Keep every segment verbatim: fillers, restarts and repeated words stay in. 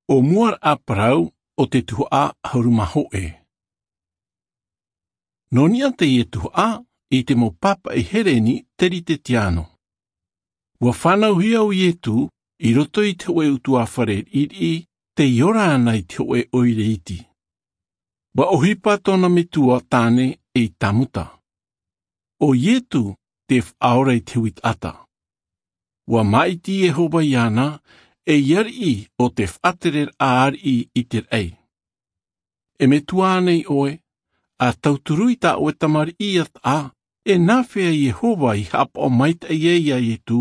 ʻO mua raʻa parau o te tuhaʻa ʻahuru mā hōʻē. Nō niʻa teie tuhaʻa i te mau pāpaʻi hereni teritetiano. Ua fānauhia ʻo iesu i roto i te hōʻē utuāfare riʻiriʻi tei ora ana i te hōʻē ʻoire iti. Ua ʻohipa tōna metua tāne ei tamuta. ʻO iesu te faʻaora i te hui taʻata. Ua māʻiti iehova iāna ei ariʻi o te faʻatereraʻa ariʻi i te raʻi. E metua ānei ʻoe? A tauturu i tā ʻoe tamariʻi iā taʻa, e nāfea iehova i haʻapaʻo maitaʻi ai iā iesu,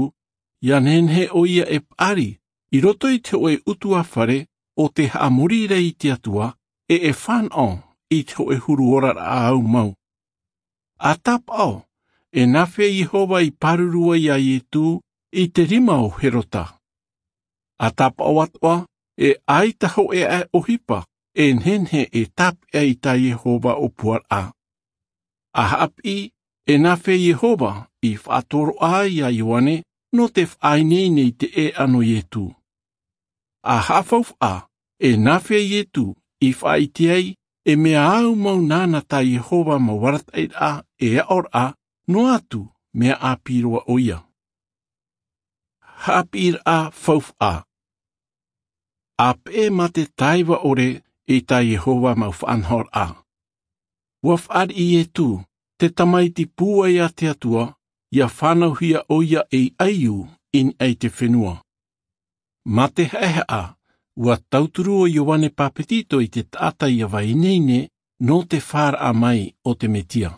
ia nehenehe ʻo ia e paʻari i roto i te hōʻē utuāfare o te haʻamori rā i te atua, e e fānaʻo i te hōʻē huru oraraʻa ʻaumau. A tāpaʻo, e nāfea iehova i pāruru ai iā iesu i te rima o herota? A tāpaʻo atoʻa, e ʻaita hōʻē aʻe ʻohipa e nehenehe e tāpeʻa i tā iehova ʻōpuaraʻa. A haʻapiʻi, e nāfea iehova i faʻatoroʻa ai iā ioane nō te faʻaineine i te ʻēʻa nō iesu? A haʻafaufaʻa, e nāfea iesu i faʻaʻite ai e mea ʻaumau nāna tā iehova mau arataʻiraʻa e aʻoraʻa noa atu mea ʻāpī roa ʻo ia? Haʻapiʻiraʻa faufaʻa. A peʻe mā te taiva ʻore i tā iehova mau faʻanahoraʻa. Ua faʻariʻi iesu, te tamaiti pūai a te atua, ia fānauhia ʻo ia ei ʻaiū i niʻa i te fenua. Mā te haʻehaʻa, ua tauturu ʻo ioane pāpetito i te taʻata ia vaineine nō te fāraʻa mai o te mesia.